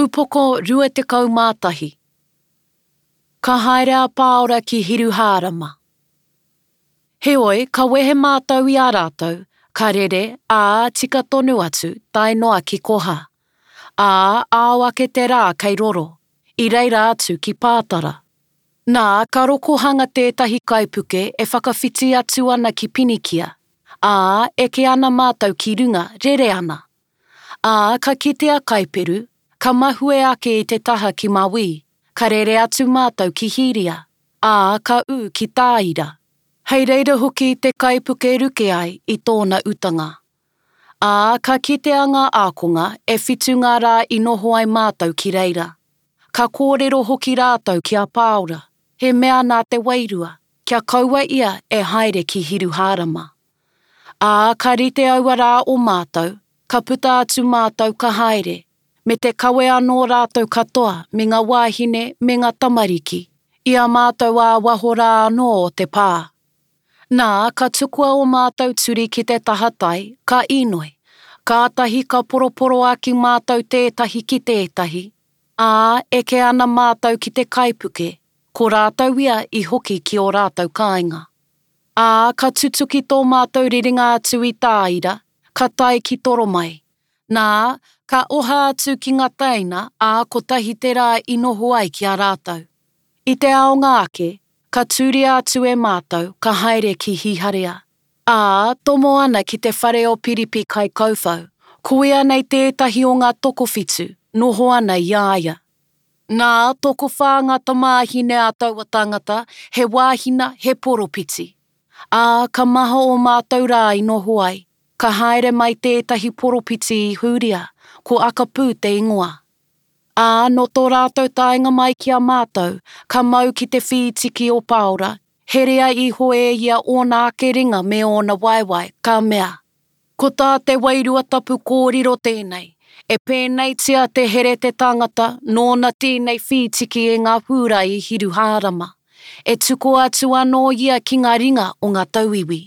Upoko 21. Ka haere a Pāora ki Hiruhārama. Heoi, ka wehe mātou i a rātou, ka rere, ā, tika tonu atu, tae noa ki Koha. Ā, ao ake te rā kei roro, i reira atu ki Pātara. Nā, ka rokohanga tētahi kaipuke e whakawhiti atu ana ki Pinikia, ā, eke ana mātou ki runga, rere ana. Ā, ka kite a Kaiperu, ka mahue ake i te taha ki Mawī, ka rere atu mātou ki Hīria, ā, ka ū ki Tāira. Hei reira hoki te kaipuke ruke ai i tōna utanga. Ā, ka kitea ngā ākonga, e whitu ngā rā i noho ai mātou ki reira. Ka kōrero hoki rātou ki a Pāora, he mea nā te Wairua, kia kaua ia e haere ki Hiruhārama. Ā, ka rite aua rā o mātou, ka puta atu mātou ka haere, me te kawe anō rātou katoa me ngā wāhine me ngā tamariki, i a mātou ā waho rā anō o te pā. Nā, ka tukua ō mātou turi ki te taha tai, ka īnoi, kātahi ka poroporoaki mātou tētahi ki tētahi, ā, eke ana mātou ki te kaipuke, ko rātou ia i hoki ki ō rātou kāinga. Ā, ka tutuki tō mātou rerenga atu i Tāira, ka tae ki Toromai. Nā, ka oha atu ki ngā teina, ā, kotahi te rā i noho ai ki a rātou. I te aonga ake, ka tūria atu e mātou, ka haere ki Hiharea. Ā, tomo ana ki te whare o Piripi kaikauwhau, ko ia nei tētahi o ngā tokowhitu, noho ana i a ia. Nā, tokowhā ngā tamāhine a taua tangata, he wāhina, he poropiti. Ā, ka maha ō mātou rā i noho ai, ka haere mai tētahi poropiti i Hūria, ko Akapū te ingoa. Ā, nō tō rātou taenga mai ki a mātou, ka mau ki te whītiki o Pāora, herea iho e ia ōna ake ringa me ōna waewae, ka mea, Ko tā te Wairua Tapu kōrero tēnei, E pēneitia te here te tangata nōna tēnei whītiki e ngā Hūrai i Hiruhārama, e tukua atu anō ia ki ngā ringa o ngā tauiwi.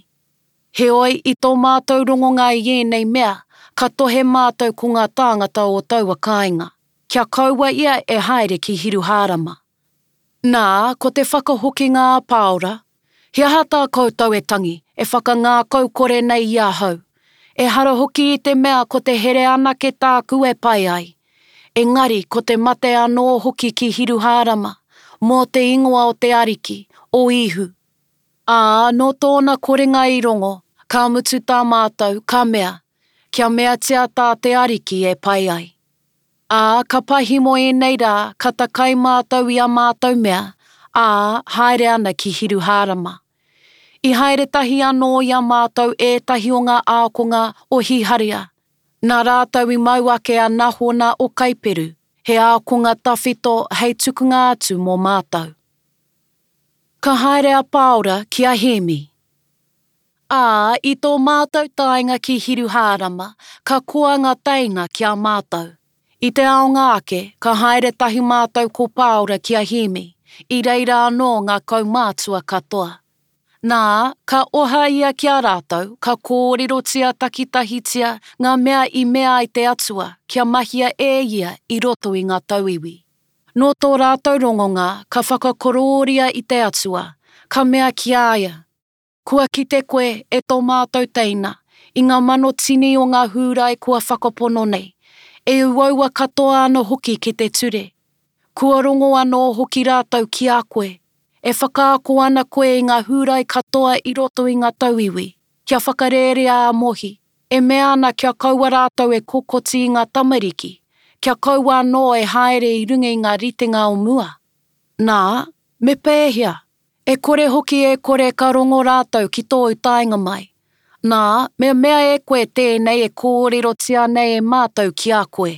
Heoi, i tō mātou rongonga i ēnei mea, ka tohe mātou ko ngā tāngata o taua kāinga, kia kaua ia e haere ki Hiruhārama. Nā, ko te whakahokinga a Pāora, He aha tā koutou e tangi, e whakangākaukore nei i ahau? Ehara hoki i te mea ko te here anake tāku e pai ai, engari ko te mate anō hoki ki Hiruhārama, mō te ingoa o te Ariki, o Īhu. Ā, nō tōna korenga i rongo, ka mutu tā mātou, ka mea, Kia meatia tā te Ariki e pai ai. Ā, ka pahimo ēnei rā, ka takai mātou i ā mātou mea, ā, haere ana ki Hiruhārama. I haere tahi anō i a mātou ētahi o ngā ākonga o Hiharia, nā rātou i mau ake a Nahona o Kaiperu, he ākonga tawhito hei tukunga atu mō mātou. Ka haere a Pāora ki a Hēmi. Ā, i tō mātou taenga ki Hiruhārama, ka koa ngā teina ki a mātou. I te aonga ake, ka haere tahi mātou ko Pāora ki a Hēmi, i reira anō ngā kaumātua katoa. Nā, ka oha ia ki a rātou, ka kōrerotia takitahitia ngā mea i mea ai te Atua kia mahia e ia i roto i ngā tauiwi. Nō tō rātou rongonga, ka whakakorōria i te Atua, ka mea ki a ia, Kua kite koe, e tō mātou teina, i ngā manotini o ngā Hūrai kua whakapono nei, e uaua katoa ana hoki ki te ture. Kua rongo anō hoki rātou ki a koe, e whakaako ana koe i ngā Hūrai katoa i roto i ngā tauiwi, kia whakarērea a Mohi, e mea ana kia kaua rātou e kokoti i ngā tamariki, kia kaua anō e haere i runga i ngā ritenga o mua. Nā, me pēhea? E kore hoki e kore ka rongo rātou ki tōu taenga mai. Nā, me mea e koe tēnei e kōrerotia nei e mātou ki a koe.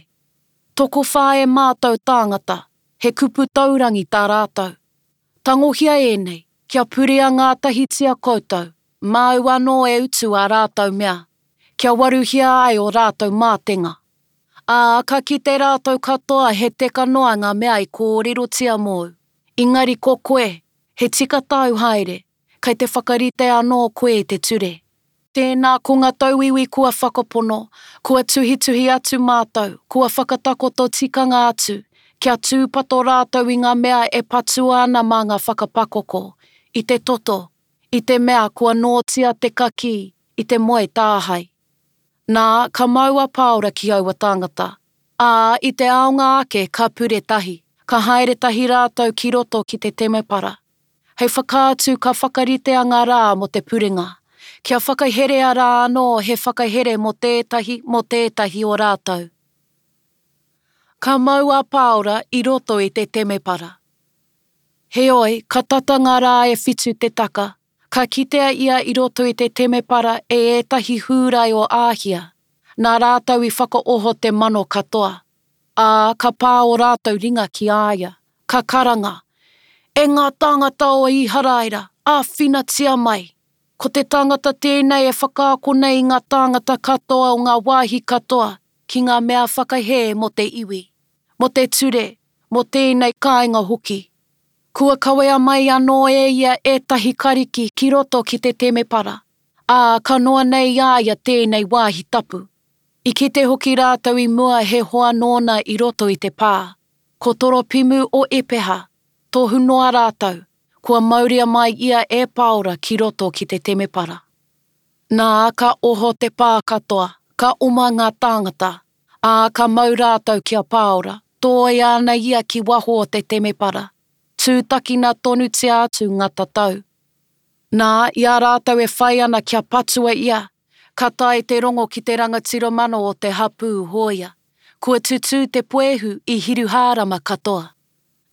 Tokowhā e mātou tāngata, he kupu taurangi tā rātou. Tangohia ēnei, kia purea ngātahitia koutou, māu anō e utu ā rātou mea, kia waruhia ai ō rātou mātenga. Ā, ka kite rātou katoa he teka noa ngā mea i kōrerotia mōu. Engari ko koe, he tika tāu haere, kei te whakarite anō koe i te ture. Tēnā ko ngā tauiwi kua whakapono, kua tuhituhi atu mātou, kua whakatakoto tikanga atu, kia tūpato rātou i ngā mea e patua ana mā ngā whakapakoko, i te toto, i te mea kua nōtia te kakī, i te moe tāhae. Nā, ka mau a Pāora ki aua tāngata, ā, i te aonga ake ka pure tahi, ka haere tahi rātou ki roto ki te temepara. Hei whakaatu ka whakaritea ngā rā mō te purenga, kia whakaherea rā anō he whakahere mō tētahi mō tētahi o rātou. Ka mau a Pāora i roto i te temepara. Heoi, ka tata ngā rā e whitu te taka, ka kitea ia i roto i te temepara e ētahi Hūrai o Āhia, nā rātou i whakaoho te mano katoa, ā, ka pā ō rātou ringa ki a ia. Ka karanga, E ngā tāngata o Īharaira, āwhinatia mai! Ko te tangata tēnei e whakaako nei i ngā tāngata katoa o ngā wāhi katoa ki ngā mea whakahē mō te iwi, mō te ture, mō tēnei kāinga hoki. Kua kawea mai anō e ia ētahi Kariki ki roto ki te temepara, ā, ka noa nei i a ia tēnei wāhi tapu. I kite hoki rātou i mua he hoa nōna i roto i te pā. Ko Toropimu o Epeha, tohu noa rātou, kua mauria mai ia e Paora ki roto ki te temepara. Nā, ka oho te pā katoa, ka oma ngā tāngata, ā, ka mau rātou ki a Paora, tōia ana ia ki waho o te temepara, tūtakina tonutia atu ngā tatau. Nā, i a rātou e whai ana kia patua ia, ka tae te rongo ki te rangatira mano o te hapū hōia. Kua tutū te puehu i Hiruhārama katoa.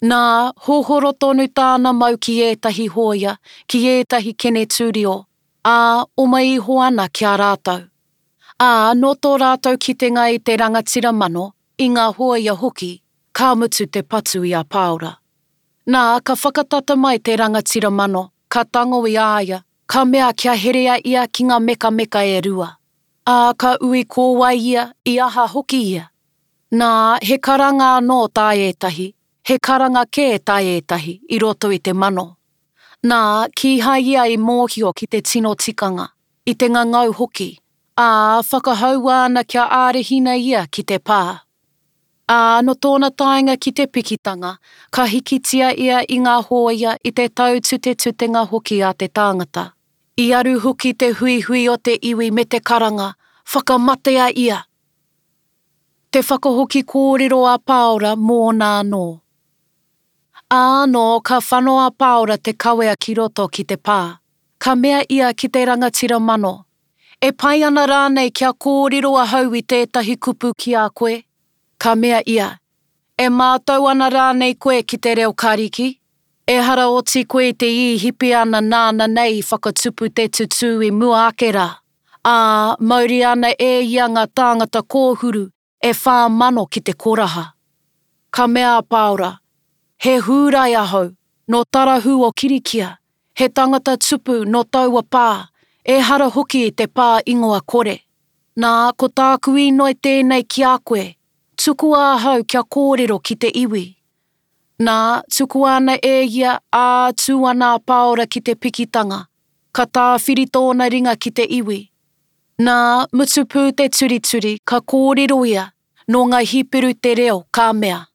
Nā, hohoro tonu tāna mau ki ētahi hōia, ki ētahi kenetūrio, ā, oma iho ana ki a rātou. Ā, nō tō rātou kitenga i te rangatira mano, i ngā hōia hoki, ka mutu te patu i a Pāora. Nā, ka whakatata mai te rangatira mano, ka tango i a ia, ka mea kia herea ia ki ngā mekameka e rua. Ā, ka ui ko wai ia, i aha hoki ia. Nā, he karanga anō tā ētahi, he karanga kē tā ētahi i roto i te mano. Nā, kīhai ia i mōhio ki te tino tikanga, i te ngangau hoki, ā, whakahaua ana kia ārahina ia ki te pā. Ā, nō tōna taenga ki te pikitanga, ka hikitia ia i ngā hōia i te taututetutenga hoki a te tāngata. I aru hoki te huihui o te iwi me te karanga, Whakamatea ia! Te whakahoki kōrero a Pāora mōna anō. Ā, nō ka whano a Pāora te kawea ki roto ki te pā, ka mea ia ki te rangatira mano, E pai ana rānei kia kōrero ahau i tētahi kupu ki a koe? Ka mea ia, E mātau ana rānei koe ki te reo Kariki? Ehara oti koe i te Īhipiana nāna nei i whakatupu te tutū i mua ake rā, ā, mauria ana e ia ngā tāngata kōhuru e 4000 ki te koraha. Ka mea a Pāora, He Hūrai ahau, nō Tarahu o Kirikia, he tangata tupu nō taua pā, ehara hoki i te pā ingoa kore. Nā, ko tāku īnoi tēnei ki a koe, tukua ahau kia kōrero ki te iwi. Nā, tukua ana e ia, ā, tū ana a Pāora ki te pikitanga, ka tāwhiri tōna ringa ki te iwi. Nā, mutu pū te turituri, ka kōrero ia, nō ngā Hiperu te reo, ka mea.